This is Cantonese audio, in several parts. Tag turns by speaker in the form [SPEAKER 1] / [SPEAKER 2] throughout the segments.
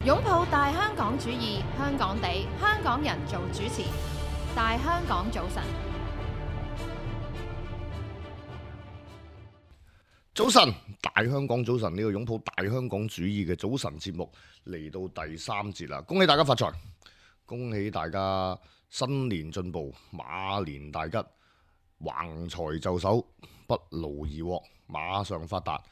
[SPEAKER 1] 擁抱大香港主義，香港地，香港人做主持。大香港早晨，
[SPEAKER 2] 早晨，大香港早晨，呢個擁抱大香港主義嘅早晨節目嚟到第3節啦！恭喜大家發財，恭喜大家新年進步，馬年大吉，橫財就手，不勞而獲，馬上發達。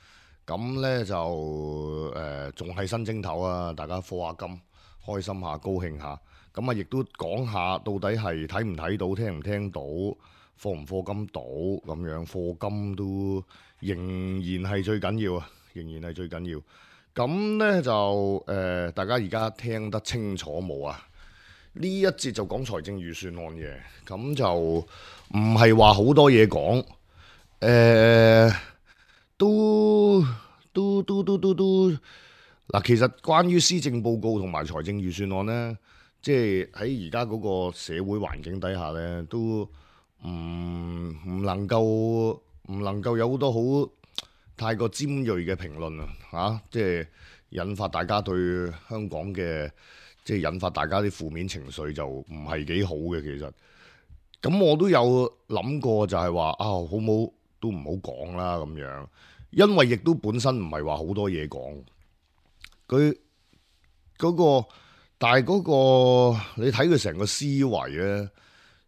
[SPEAKER 2] 咁呢就仲係新正頭啊！大家課下金，開心下，高興下。咁啊，亦都講下到底係睇唔睇到，聽唔聽到，課唔課金到咁樣，課金都仍然係最緊要啊！仍然係最緊要。咁呢就大家而家聽得清楚冇啊？呢一節就講財政預算案嘅，咁就唔係話好多嘢講，都嗱，其實關於施政報告同埋財政預算案呢，即係喺而家嗰個社會環境底下呢，都唔能夠有好多好太過尖鋭嘅評論啊！即係引發大家對香港嘅，即係引發大家啲負面情緒就唔係幾好嘅。其實咁我都有諗過，就係話啊，好唔好都唔好講啦咁樣。因為亦都本身唔係話好多嘢講，佢嗰個，但係嗰個你睇佢成個思維咧，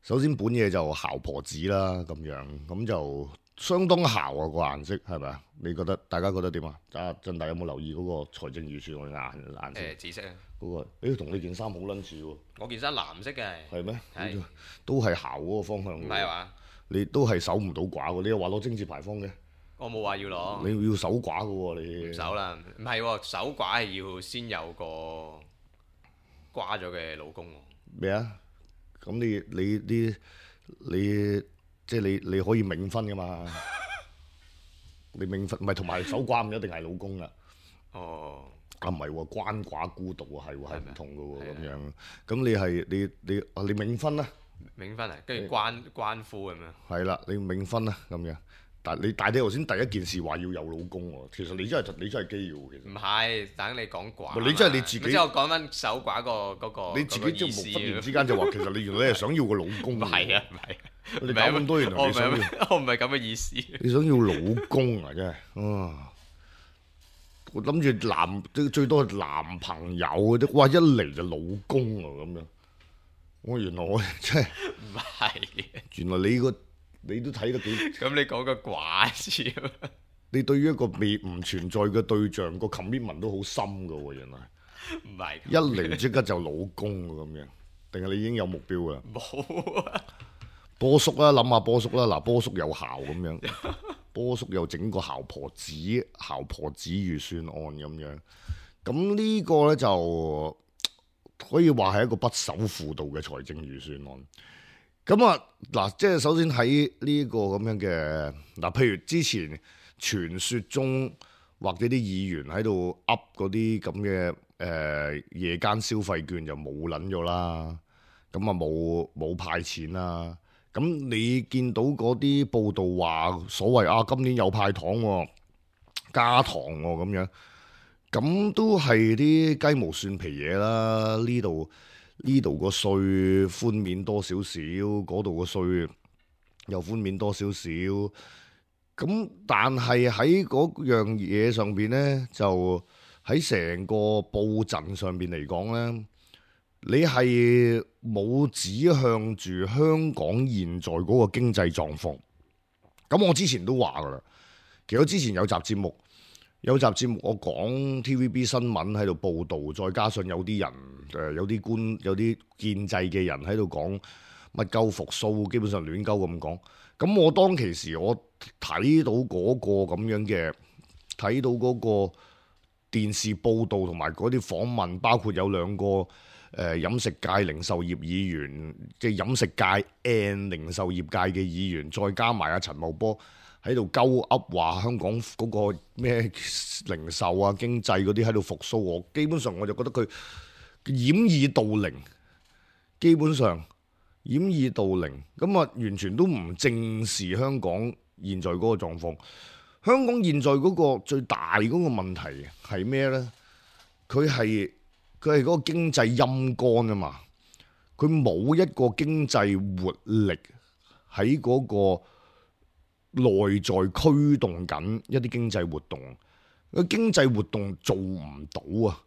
[SPEAKER 2] 首先本嘢就姣婆子啦咁樣，咁就相當姣啊個顏色係咪啊？你覺得大家覺得點啊？阿振大有冇留意嗰個財政預算案嘅顏色？
[SPEAKER 3] 紫色啊！
[SPEAKER 2] 嗰個同你件衫好撚似喎。
[SPEAKER 3] 我件衫藍色嘅。係
[SPEAKER 2] 咩？
[SPEAKER 3] 係
[SPEAKER 2] 都係姣嗰個方向。
[SPEAKER 3] 唔係話？
[SPEAKER 2] 你都係守唔到寡喎，你又話攞貞節牌坊嘅。
[SPEAKER 3] 我冇話要攞，
[SPEAKER 2] 你要守寡嘅喎，你
[SPEAKER 3] 唔守啦，唔係喎，守寡係要先有個瓜咗嘅老公喎。
[SPEAKER 2] 咩啊？咁你即係你可以冥婚噶嘛？你冥婚唔係同埋守寡唔一定係老公噶。
[SPEAKER 3] 哦，
[SPEAKER 2] 啊唔係喎，鰥寡孤獨喎，係唔同嘅喎咁樣。咁你冥婚啦，
[SPEAKER 3] 冥婚啊，跟住關夫咁樣。係
[SPEAKER 2] 啦，你冥婚啦咁樣。但你頭先第一件事話要有老公喎，其實你真係基要其實。
[SPEAKER 3] 唔係，等你講寡。
[SPEAKER 2] 你真係你自己。
[SPEAKER 3] 之後講翻守寡嗰個。
[SPEAKER 2] 你自己即係忽然之間就話，其實你原來係想要個老公。
[SPEAKER 3] 唔係啊，唔係。
[SPEAKER 2] 你搞咁多原來你想要。
[SPEAKER 3] 我唔係咁嘅意思。
[SPEAKER 2] 你想要老公啊，真係啊！我諗住最多係男朋友嘅啫，哇！一嚟就老公啊咁樣。我原來我真係。
[SPEAKER 3] 唔係。
[SPEAKER 2] 原來你都睇得幾
[SPEAKER 3] 咁你講個寡字，
[SPEAKER 2] 你對於一個未唔存在嘅對象個 commitment 都好深噶喎，原來
[SPEAKER 3] 唔係
[SPEAKER 2] 一嚟即刻就老公咁樣，定係你已經有目標噶啦？
[SPEAKER 3] 冇啊！
[SPEAKER 2] 波叔啦，諗下波叔啦，嗱，波叔有姣咁樣，波叔又整個姣婆子預算案咁樣，咁呢個呢，就可以話係一個不守婦道嘅財政預算案。咁啊，嗱，即係首先喺呢個咁樣嘅嗱，譬如之前傳說中或者啲議員喺度噏嗰啲咁嘅夜間消費券就冇撚咗啦，咁啊冇派錢啦。咁你見到嗰啲報道話所謂啊今年有派糖喎，加糖喎咁樣，咁都係啲雞毛蒜皮嘢啦。呢度個稅寬免多少少，嗰度個稅又寬免多少少，咁但係喺嗰樣嘢上邊呢，就喺成個佈陣上邊嚟講呢，你係冇指向住香港現在嗰個經濟狀況。咁我之前都話噶啦，其實我之前有集節目我講 TVB 新聞喺度報導，再加上有啲人有啲建制嘅人喺度講乜鳩復甦，基本上亂鳩咁講。咁我當其時我睇到嗰個咁樣嘅，睇到嗰個電視報導同埋嗰啲訪問，包括有兩個飲食界零售業議員，即係飲食界 and 零售業界嘅議員，再加埋阿陳茂波喺度鳩噏話香港嗰個咩零售啊經濟嗰啲喺度復甦，我基本上我就覺得佢掩耳盜鈴，基本上掩耳盜鈴，咁啊完全都唔正視香港現在嗰個狀況。香港現在嗰個最大嗰個問題係咩呢？佢佢係嗰個經濟陰乾啊嘛，佢冇一個經濟活力喺嗰個內在驅動緊一啲經濟活動，個經濟活動做唔到啊！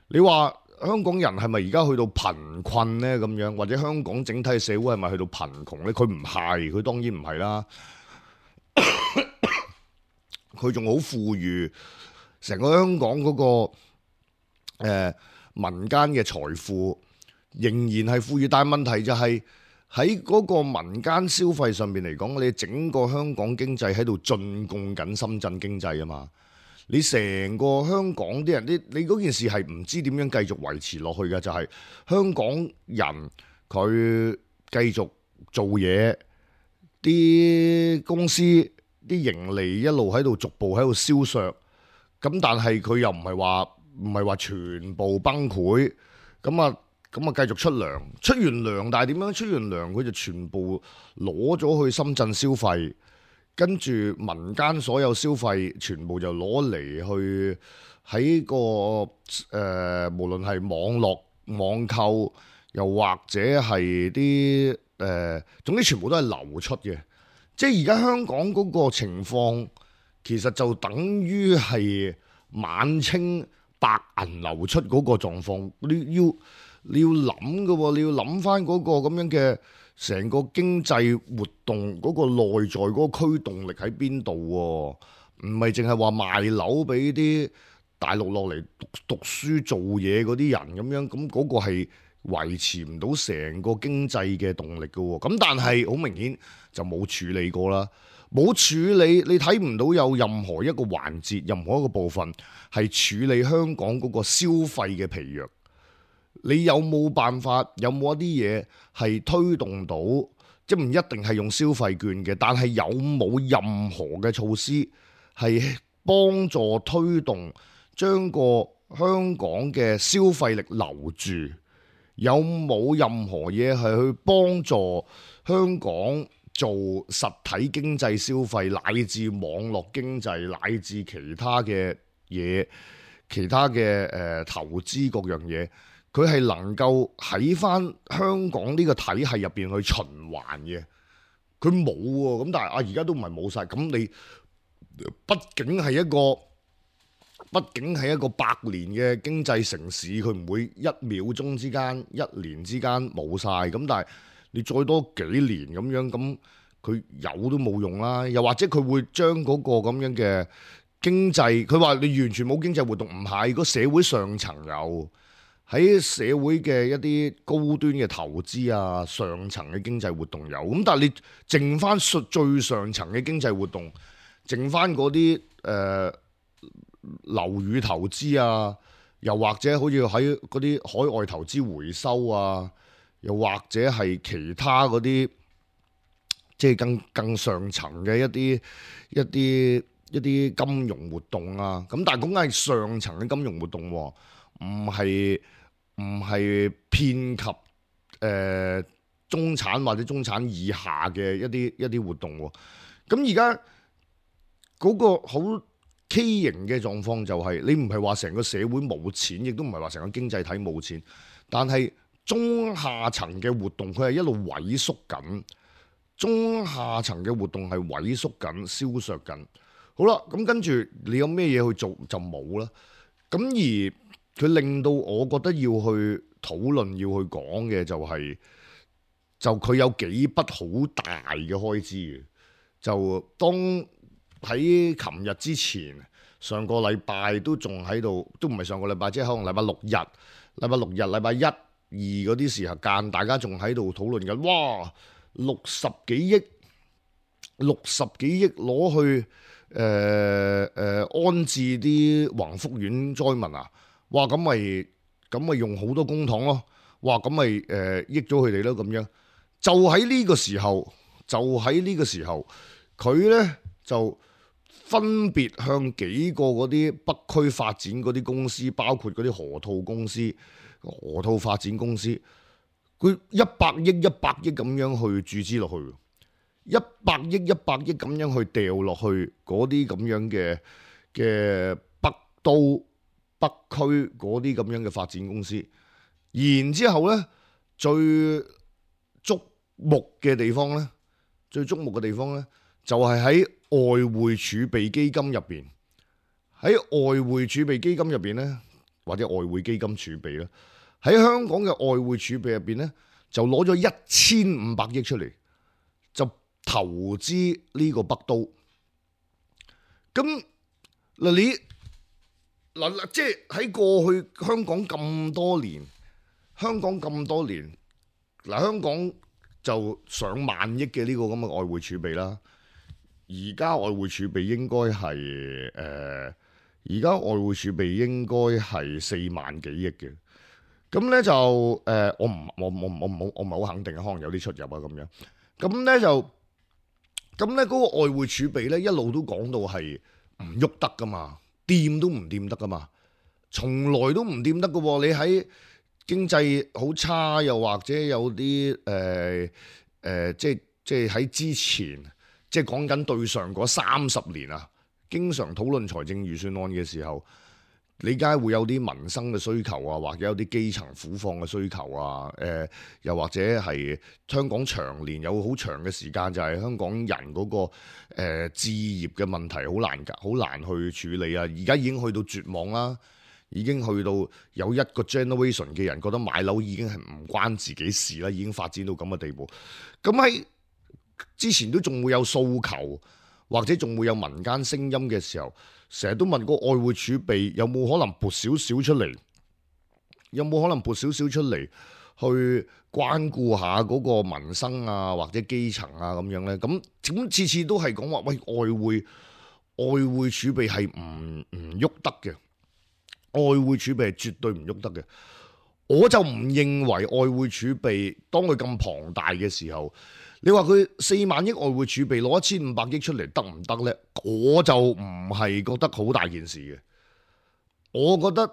[SPEAKER 2] 你話香港人係咪而家去到貧困呢？咁樣，或者香港整體社會係咪去到貧窮呢？佢唔係，佢當然唔係啦。佢仲好富裕，成個香港嗰個民間嘅財富仍然係富裕，但係問題就係喺嗰個民間消費上面嚟講，你整個香港經濟喺度進貢緊深圳經濟啊嘛。你成個香港啲人，你嗰件事係唔知點樣繼續維持落去嘅，就係香港人佢繼續做嘢，啲公司啲盈利一路喺度逐步喺度消削，咁但係佢又唔係話全部崩潰，咁啊繼續出糧，出完糧，但係點樣出完糧佢就全部攞咗去深圳消費。跟住民間所有消費全部就攞嚟去喺個無論係網絡網購，又或者係啲總之全部都係流出嘅。即係而家香港嗰個情況，其實就等於係晚清白銀流出嗰個狀況。你要諗嘅喎，你要諗翻嗰個咁樣嘅。成個經濟活動嗰個內在嗰個驅動力喺邊度喎？唔係淨係話賣樓俾啲大陸落嚟讀書做嘢嗰啲人咁樣，咁嗰個係維持唔到成個經濟嘅動力嘅喎。咁但係好明顯就冇處理過啦，冇處理，你睇唔到有任何一個環節、任何一個部分係處理香港嗰個消費嘅疲弱。你有冇辦法？有冇一啲嘢係推動到？即唔一定係用消費券嘅，但係有冇任何嘅措施係幫助推動將個香港嘅消費力留住？有冇任何嘢係去幫助香港做實體經濟消費，乃至網絡經濟，乃至其他嘅嘢、其他嘅投資各樣嘢？佢係能夠喺翻香港呢個體系入邊去循環嘅，佢冇喎。咁但係而家都唔係冇晒。咁你畢竟係一個百年嘅經濟城市，佢唔會一秒鐘之間、一年之間冇晒。咁但係你再多幾年咁樣，咁佢有都冇用啦。又或者佢會將嗰個咁樣嘅經濟，佢話你完全冇經濟活動，唔係，個社會上層有。喺社會嘅一啲高端嘅投資啊，上層嘅經濟活動有，咁但係你剩翻最上層嘅經濟活動，剩翻嗰啲樓宇投資啊，又或者好似喺嗰啲海外投資回收啊，又或者係其他嗰啲即係更上層嘅一啲金融活動啊，咁但係講緊係上層嘅金融活動喎，唔係遍及中產或者中產以下嘅一啲活動喎。咁而家嗰個好畸形嘅狀況就係，你唔係話成個社會冇錢，亦都唔係話成個經濟體冇錢，但係中下層嘅活動佢係一路萎縮緊，中下層嘅活動係萎縮緊、消削緊。好啦，咁跟住你有咩嘢去做就冇啦。咁而佢令到我覺得要去討論、要去講嘅就佢有幾筆好大嘅開支嘅。就當喺琴日之前，上個禮拜都仲喺度，都唔係上個禮拜，即係可能禮拜六日、禮拜一、二嗰啲時候間，大家仲喺度討論緊。哇，60幾億攞去安置啲宏福苑災民啊！哇，咁咪用好多公帑咯！哇，咁咪益咗佢哋咯咁樣。就喺呢個時候，佢呢就分別向幾個嗰啲北區發展嗰啲公司，包括嗰啲河套發展公司，佢100億咁樣去注資落去，100億咁樣去掉落去嗰啲咁樣嘅北區嗰啲咁樣嘅發展公司。然之後呢，最矚目嘅地方呢，就係喺外匯儲備基金入邊。喺外匯儲備基金入邊呢，或者外匯基金儲備咧，喺香港嘅外匯儲備入邊呢，就攞咗1500億出嚟，就投資呢個北都。咁嗱，即係喺過去香港咁多年，香港就上萬億嘅呢個咁嘅外匯儲備啦。而家外匯儲備應該係4萬幾億嘅。咁咧就我唔係好肯定，可能有啲出入啊咁樣。咁咧嗰個外匯儲備咧一路都講到係唔喐得噶嘛，掂都唔掂得噶嘛，從來都唔掂得噶喎。你喺經濟好差，又或者有啲即係喺之前，即係講緊對上嗰30年啊，經常討論財政預算案嘅時候，你梗係會有啲民生嘅需求啊，或者有啲基層苦況嘅需求啊，又或者係香港長年有好長嘅時間就係香港人嗰個置業嘅問題好難去處理啊。而家已經去到絕望啦，已經去到有一個 generation 嘅人覺得買樓已經係唔關自己事啦，已經發展到咁嘅地步。咁喺之前都仲會有訴求，或者仲會有民間聲音嘅時候，成日都問個外匯儲備有冇可能撥少少出嚟，去關顧下嗰個民生啊，或者基層啊咁樣呢？咁次次都係講話，喂，外匯儲備係唔喐得嘅，外匯儲備係絕對唔喐得嘅。我就唔認為外匯儲備當佢咁龐大嘅時候，你話佢4萬億外匯儲備攞1500億出嚟得唔得呢？我就唔係覺得好大件事嘅。我覺得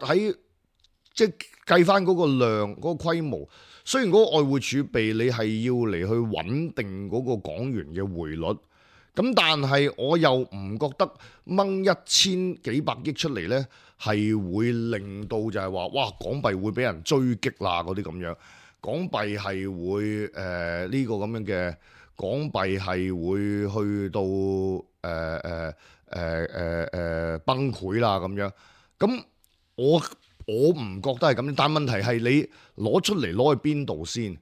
[SPEAKER 2] 即係計翻嗰個量、嗰個規模，雖然嗰個外匯儲備你係要嚟去穩定嗰個港元嘅匯率，咁但係我又唔覺得掹1000幾百億出嚟呢係會令到就係話哇港幣會俾人追擊啦嗰啲咁樣。港幣係會呢個咁樣嘅，港幣係會去到崩潰啦咁樣。咁我唔覺得係咁，但問題係你攞出嚟攞去邊度先？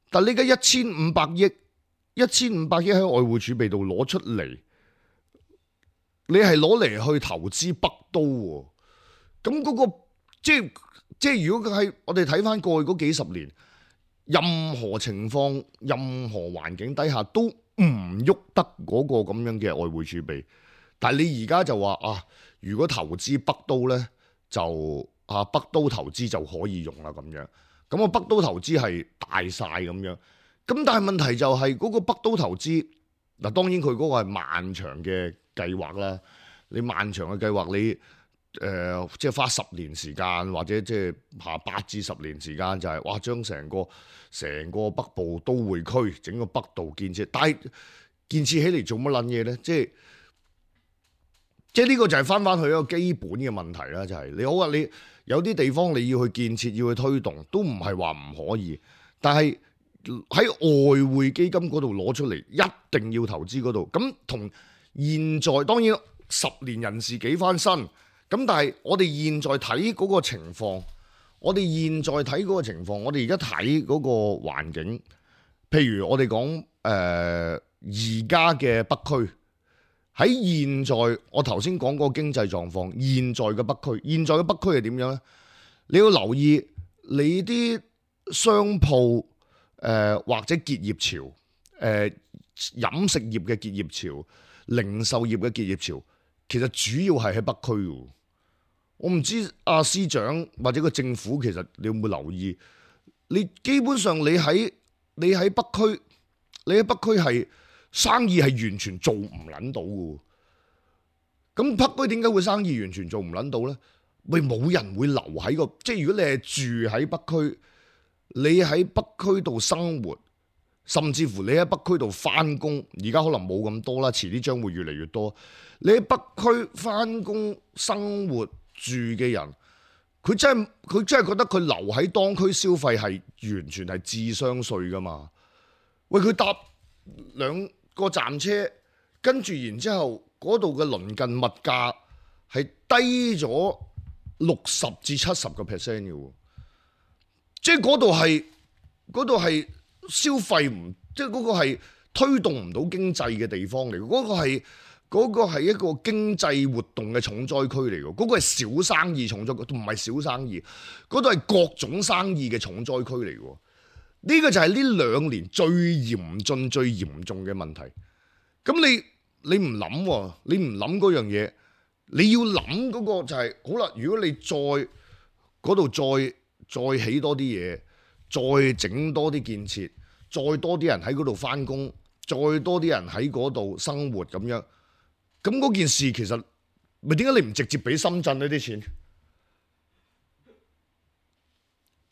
[SPEAKER 2] 但你而家1500億喺外匯儲備度攞出嚟，你係攞嚟去投資北都喎。咁嗰個即係如果佢係我哋睇翻過去嗰幾十年。任何情況、任何環境底下都唔喐得嗰個咁樣嘅外匯儲備，但係你而家就話啊，如果投資北都呢，就北都投資就可以用啦咁樣。咁北都投資係大晒咁樣。咁但係問題就係嗰個北都投資嗱，當然佢嗰個係漫長嘅計劃啦。你漫長嘅計劃你。即係花10年時間，或者即係8至10年時間，就係哇將成個北部都會區整個北道建設，但係建設起嚟做乜撚嘢呢？即係呢個就係翻去一個基本嘅問題啦。就係你好啊，你有啲地方你要去建設，要去推動，都唔係話唔可以，但係喺外匯基金嗰度攞出嚟，一定要投資嗰度。咁同現在當然10年人事幾番新。咁但係我哋現在睇嗰個情況，我哋而家睇嗰個環境，譬如我哋講而家嘅北區，喺現在我頭先講嗰個經濟狀況，現在嘅北區係點樣呢？你要留意你啲商鋪或者結業潮，飲食業嘅結業潮、零售業嘅結業潮，其實主要係喺北區嘅。我唔知司長或者個政府其實你有冇留意？你基本上你喺北區係生意係完全做唔撚到嘅。咁北區點解會生意完全做唔撚到呢？咪冇人會留喺個，即係如果你係住喺北區，你喺北區度生活，甚至乎你喺北區度翻工，而家可能冇咁多啦，遲啲將會越嚟越多。你喺北區翻工生活住嘅人，佢真係覺得佢留喺當區消費係完全係智商稅噶嘛？喂，佢搭2個站車，跟住然之後嗰度嘅鄰近物價係低咗60至70%嘅喎，即係嗰度係消費唔，即係嗰個係推動唔到經濟嘅地方嚟，嗰個係一個經濟活動嘅重災區嚟嘅，嗰個係小生意重災區，唔係小生意，嗰度係各種生意嘅重災區嚟嘅。呢個就係呢2年最嚴峻、最嚴重嘅問題。咁你唔諗喎，你唔諗嗰樣嘢，你要諗嗰個就係好啦。如果你嗰度再起多啲嘢，再整多啲建設，再多啲人喺嗰度返工，再多啲人喺嗰度生活咁樣。咁嗰件事其實咪點解你唔直接俾深圳呢啲錢？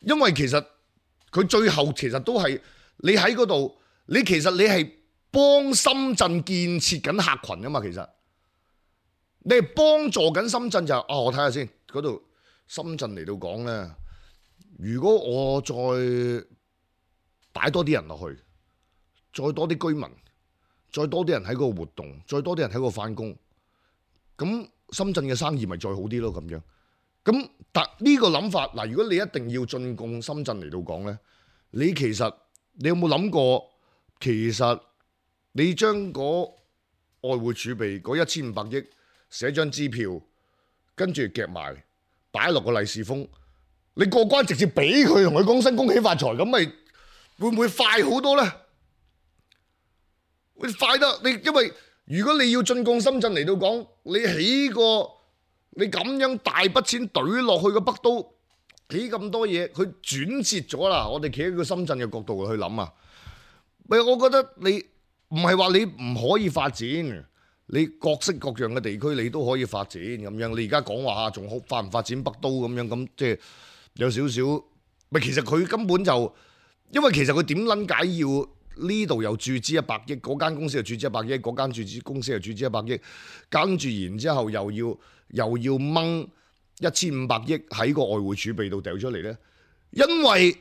[SPEAKER 2] 因為其實佢最後其實都係你喺嗰度，其實你係幫深圳建設緊客群㗎嘛。其實你係幫助緊深圳就我睇下先嗰度深圳嚟到講咧，如果我再擺多啲人落去，再多啲居民，再多啲人喺嗰個活動，再多啲人喺嗰個返工，咁深圳嘅生意咪再好啲咯咁樣。咁但呢個諗法嗱，如果你一定要進貢深圳嚟到講咧，你有冇諗過，其實你將嗰外匯儲備嗰1500億寫張支票，跟住夾埋擺落個利是封，你過關直接俾佢，同佢講聲恭喜發財，咁咪會唔會快好多咧？會快得你，因為如果你要進貢深圳嚟到講，你咁樣大筆錢懟落去個北都，起咁多嘢，佢轉折咗啦。我哋企喺個深圳嘅角度去諗啊，我覺得你唔係話你唔可以發展，你各式各樣嘅地區你都可以發展咁樣。你而家講話仲好發唔發展北都咁樣，咁即係有少少，其實佢根本就，因為其實佢點撚解要呢度又注資100億，嗰間公司又注資100億，嗰間公司又注資100億，跟住然之後又要掹1500億喺個外匯儲備度掉出嚟咧，因為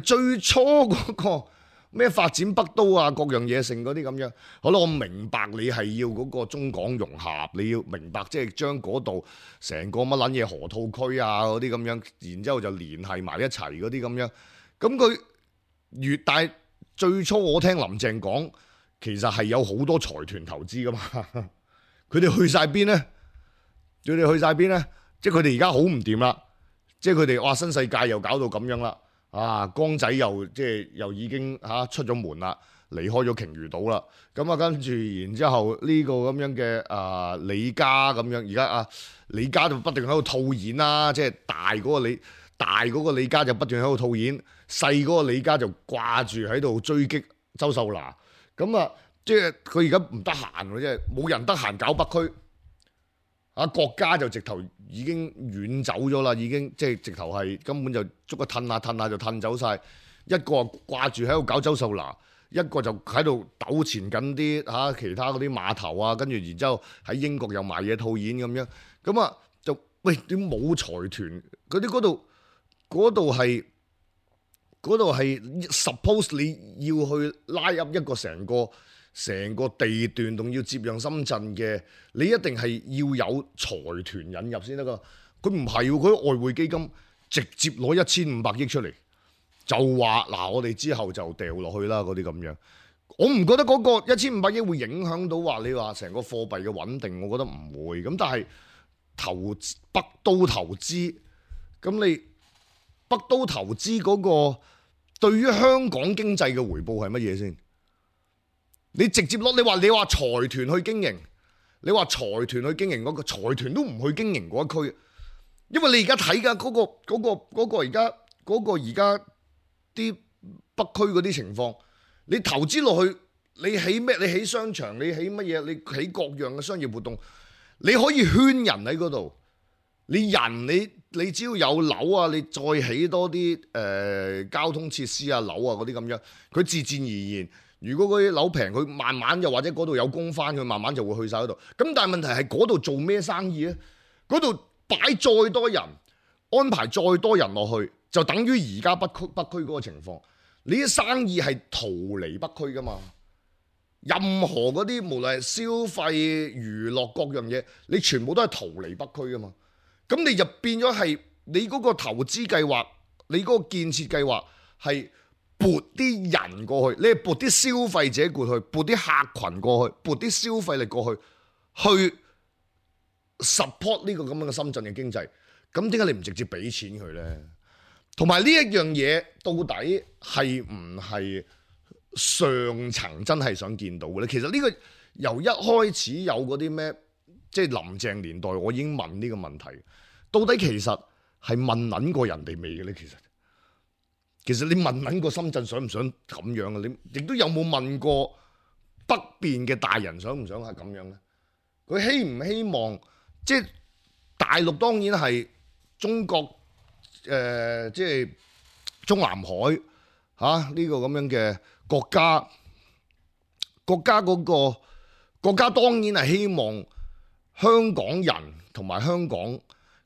[SPEAKER 2] 最初嗰個咩發展北都啊，各樣嘢成嗰啲咁樣。好啦，我明白你係要嗰個中港融合，你要明白即係將嗰度成個乜撚嘢河套區啊嗰啲咁樣，然之後就聯繫埋一齊嗰啲咁樣。咁佢但係最初我聽林鄭講，其實係有好多財團投資噶嘛，佢哋去晒邊咧？即係佢哋而家好唔掂啦，即係佢哋哇新世界又搞到咁樣啦，江仔又已經出咗門啦，離開咗鯨魚島啦，咁跟住然之後呢個咁樣嘅李家咁樣，而家李家就不斷喺度套現啦，即係大嗰個李家就不斷喺度套現，細嗰個李家就掛住喺度追擊周秀娜，咁即係佢而家唔得閒喎，即係冇人得閒搞北區。國家就直頭已經遠走咗啦，已經即係直頭係根本就捉個褪下就褪走晒。一個掛住喺度搞周秀娜，一個就喺度糾纏緊啲其他嗰啲碼頭啊，跟住然之後喺英國又賣嘢套現咁樣，咁就喂點冇財團？嗰度係 suppose 你要去拉入一個成個地段，仲要接壤深圳嘅，你一定係要有財團引入先得噶。佢唔係喎，佢外匯基金直接攞1500億出嚟，就話我哋之後就掉落去啦嗰啲咁樣。我唔覺得嗰個1500億會影響到話你話成個貨幣嘅穩定，我覺得唔會。咁但係北都投資，咁你北都投資嗰個對於香港經濟嘅回報係乜嘢先？你直接攞你話財團去經營，嗰個財團都唔去經營嗰一區，因為你而家睇㗎嗰個而家啲北區嗰啲情況，你投資落去，你起咩？你起商場，你起乜嘢？你起各樣嘅商業活動，你可以圈人喺嗰度，你只要有樓啊，你再起多啲交通設施啊、樓啊嗰啲咁樣，佢自然而然。如果嗰啲樓平，佢慢慢又或者嗰度有工翻，佢慢慢就會去晒嗰度。咁但係問題係嗰度做咩生意咧？嗰度擺再多人，安排再多人落去，就等於而家北區嗰個情況。你啲生意係逃離北區噶嘛？任何嗰啲無論係消費、娛樂各樣嘢，你全部都係逃離北區噶嘛？咁你就變咗係你嗰個投資計劃，你嗰個建設計劃係撥啲人過去，你係撥啲消費者過去，撥啲客群過去，撥啲消費力過去，去 support 呢個咁樣嘅深圳嘅經濟。咁點解你唔直接俾錢佢呢？同埋呢一樣嘢到底係唔係上層真係想見到嘅咧？其實呢個由一開始有嗰啲咩，即係林鄭年代，我已經問呢個問題，到底其實係問撚過人哋未嘅咧？其實你問撚過深圳想唔想咁樣啊？你亦都有冇問過北邊嘅大人想唔想係咁樣咧？佢希唔希望即係大陸當然係中國即係中南海呢個咁樣嘅國家，國家當然係希望香港人同埋香港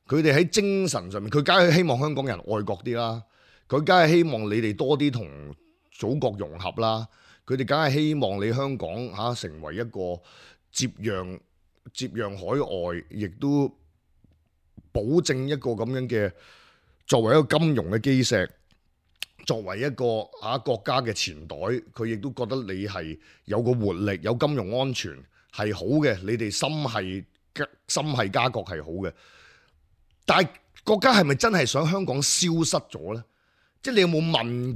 [SPEAKER 2] 佢哋喺精神上面，佢梗係希望香港人愛國啲啦，佢梗係希望你哋多啲同祖國融合啦，佢哋梗係希望你香港成為一個接壤海外，亦都保證一個咁樣嘅作為一個金融嘅基石，作為一個國家嘅錢袋，佢亦都覺得你係有個活力，有金融安全係好嘅，你哋心係家國係好嘅。但係國家係咪真係想香港消失咗呢？即係你有冇問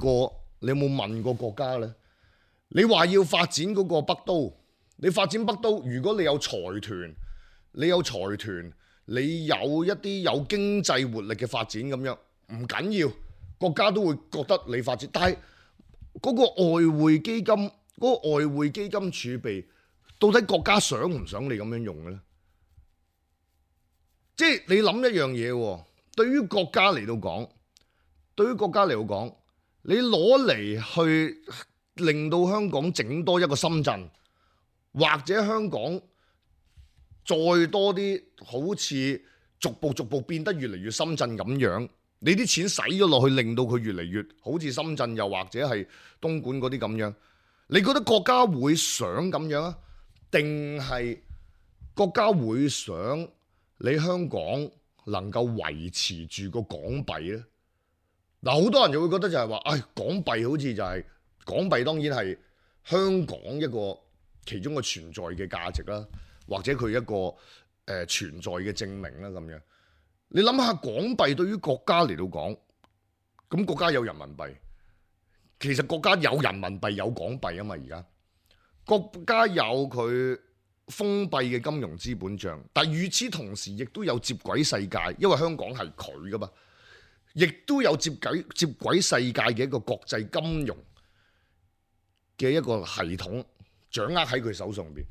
[SPEAKER 2] 過國家呢？你話要發展嗰個北都，你發展北都，如果你有財團，你有一啲有經濟活力嘅發展咁樣，唔緊要，國家都會覺得你發展。但係嗰個外匯基金，儲備，到底國家想唔想你咁樣用嘅咧？即係你諗一樣嘢喎，對於國家嚟到講，你攞嚟去令到香港整多一個深圳，或者香港再多啲好似逐步變得越嚟越深圳咁樣，你啲錢使咗落去，令到佢越嚟越好似深圳，又或者係東莞嗰啲咁樣，你覺得國家會想咁樣啊？定係國家會想你香港能夠維持住個港幣呢？嗱，好多人就會覺得就係話，港幣好似就係港幣，當然係香港一個其中嘅存在嘅價值啦，或者佢一個存在嘅證明啦咁樣。你諗下港幣對於國家嚟到講，咁國家有人民幣，其實國家有人民幣有港幣啊嘛，而家國家有佢封閉嘅金融資本帳，但與此同時亦都有接軌世界，因為香港係佢噶嘛，亦都有接軌世界嘅一個國際金融嘅一個系統掌握喺佢手上邊。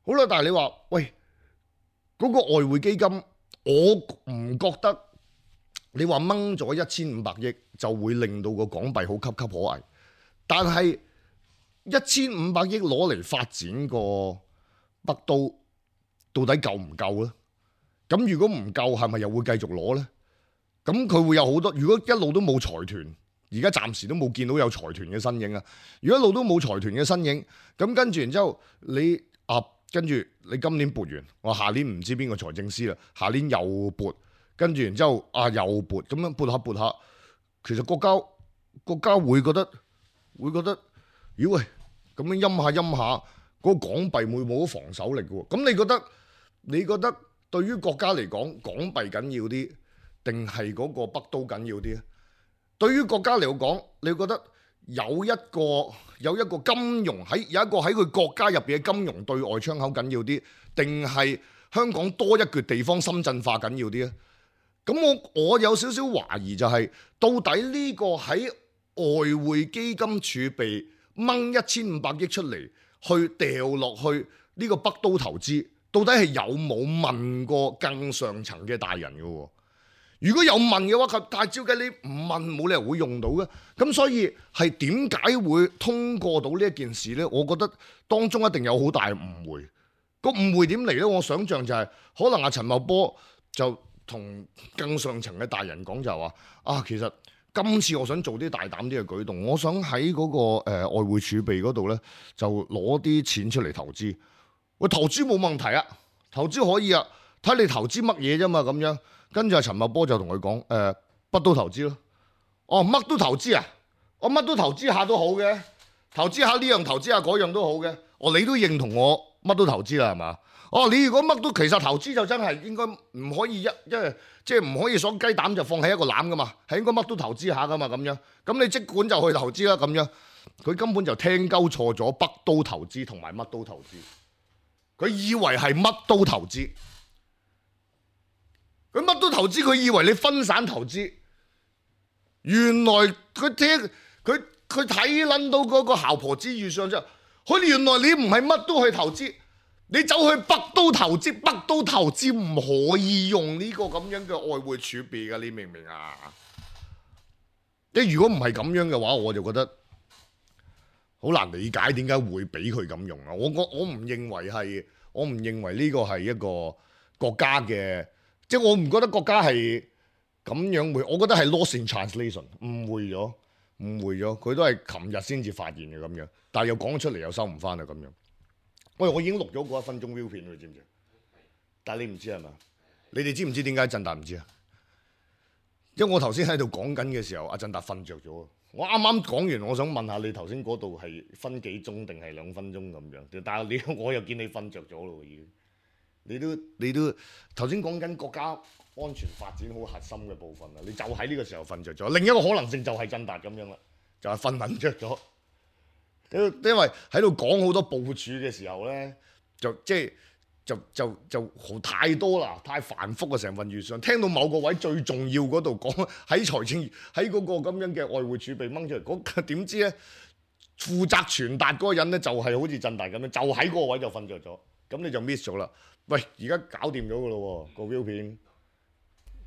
[SPEAKER 2] 好啦，但係你話喂，嗰個外匯基金，我唔覺得你話掹咗1500億就會令到個港幣好岌岌可危，但係1500億攞嚟發展個北都到底夠唔夠呢？咁如果唔夠，係咪又會繼續攞呢？咁佢會有好多，如果一路都冇財團，而家暫時都冇見到有財團嘅身影啊！如果一路都冇財團嘅身影，咁跟住然之後跟住你今年撥完，我下年唔知邊個財政司啦，下年又撥，跟住然之後又撥，咁樣撥下，其實國家會覺得，咦喂，咁樣陰下，嗰個港幣會冇咗防守力嘅喎。咁你覺得對於國家嚟講，港幣緊要啲，定係嗰個北都緊要啲咧？對於國家嚟講，你覺得有一個金融有一個喺佢國家入邊嘅金融對外窗口緊要啲，定係香港多一橛地方深圳化緊要啲咧？咁我有少少懷疑就係，到底呢個喺外匯基金儲備掹1500億出嚟去掉落去呢個北都投資，到底係有冇問過更上層嘅大人嘅喎？如果有問嘅話，但係照計你唔問冇理由會用到嘅。咁所以係點解會通過到呢一件事呢？我覺得當中一定有好大誤會。個誤會點嚟呢？我想象就係可能陳茂波就同更上層嘅大人講就係話啊，其實今次我想做啲大膽啲嘅舉動，我想喺嗰個外匯儲備嗰度咧就攞啲錢出嚟投資。喂，投資冇問題啊，投資可以啊，睇你投資乜嘢啫嘛咁樣。跟住阿陳茂波就同佢講乜都投資咯。哦，乜都投資啊？我乜都投資下都好嘅，投資下呢樣投資下嗰樣都好嘅。哦，你都認同我乜都投資啦係嘛？哦，你如果乜都其實投資就真係應該唔可以即係唔可以鎖雞蛋就放喺一個籃噶嘛，係應該乜都投資下噶嘛咁樣。咁你即管就去投資啦咁樣。佢根本就聽鳩錯咗北都投資同埋乜都投資。佢以為係乜都投資，佢乜都投資，佢以為你分散投資。原來佢睇撚到嗰個姣婆之預算之後，佢原來你唔係乜都去投資，你走去北都投資，北都投資唔可以用呢個咁樣嘅外匯儲備㗎，你明唔明啊？即如果唔係咁樣嘅話，我就覺得好難理解點解會俾佢咁用啊！我唔認為呢個係一個國家嘅，即係我唔覺得國家係咁樣會，我覺得係 lost in translation， 誤會咗，佢都係琴日先至發現嘅咁樣，但係又講出嚟又收唔翻啦咁樣。喂，我已經錄咗嗰1分鐘 view 片，你知唔知？但係你唔知係嘛？你哋知唔知點解振達唔知啊？因為我頭先喺度講緊嘅時候，阿振達瞓着咗。我啱啱講完，我想問下你頭先嗰度係分幾鐘定係2分鐘咁樣？但係我又見你瞓着咗咯，已經。你都頭先講緊國家安全發展好核心嘅部分啦，你就喺呢個時候瞓着咗。另一個可能性就係振達咁樣啦，就係瞓撚着咗。因為喺度講好多部署嘅時候咧，就太多啦，太繁複啊！成份預算聽到某個位最重要嗰度講喺財政喺嗰個咁樣嘅外匯儲備掹出嚟，嗰點知咧負責傳達嗰個人咧就係好似振達咁樣，就喺嗰個位就瞓着咗，咁你就 miss 咗啦。喂，而家搞掂咗噶咯喎，個 view 片。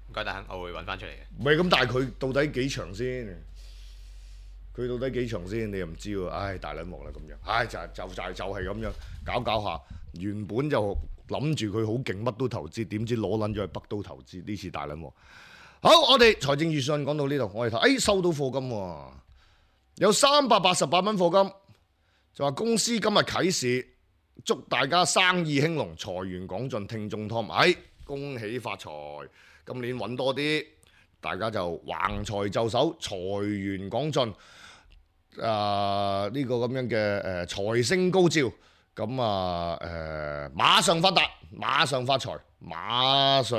[SPEAKER 3] 唔該，等我會揾翻出嚟嘅。
[SPEAKER 2] 唔係咁，但係佢到底幾長先？你又唔知喎。唉，大撚鑊啦咁樣。唉，就係咁樣搞下。原本就諗住佢好勁，乜都投資，點知攞撚咗去北都投資，呢次大撚鑊。好，我哋財政預算講到呢度，我哋睇，收到課金喎，有388蚊課金，就話公司今日啟市，祝大家生意興隆，財源廣進，聽眾Tom，恭喜發財，今年揾多啲，大家就橫財就手，財源廣進，呢個咁樣嘅財星高照，咁馬上發達，馬上發財，馬上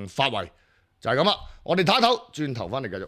[SPEAKER 2] 發圍，就係咁啦。我哋睇一睇，轉頭翻嚟繼續。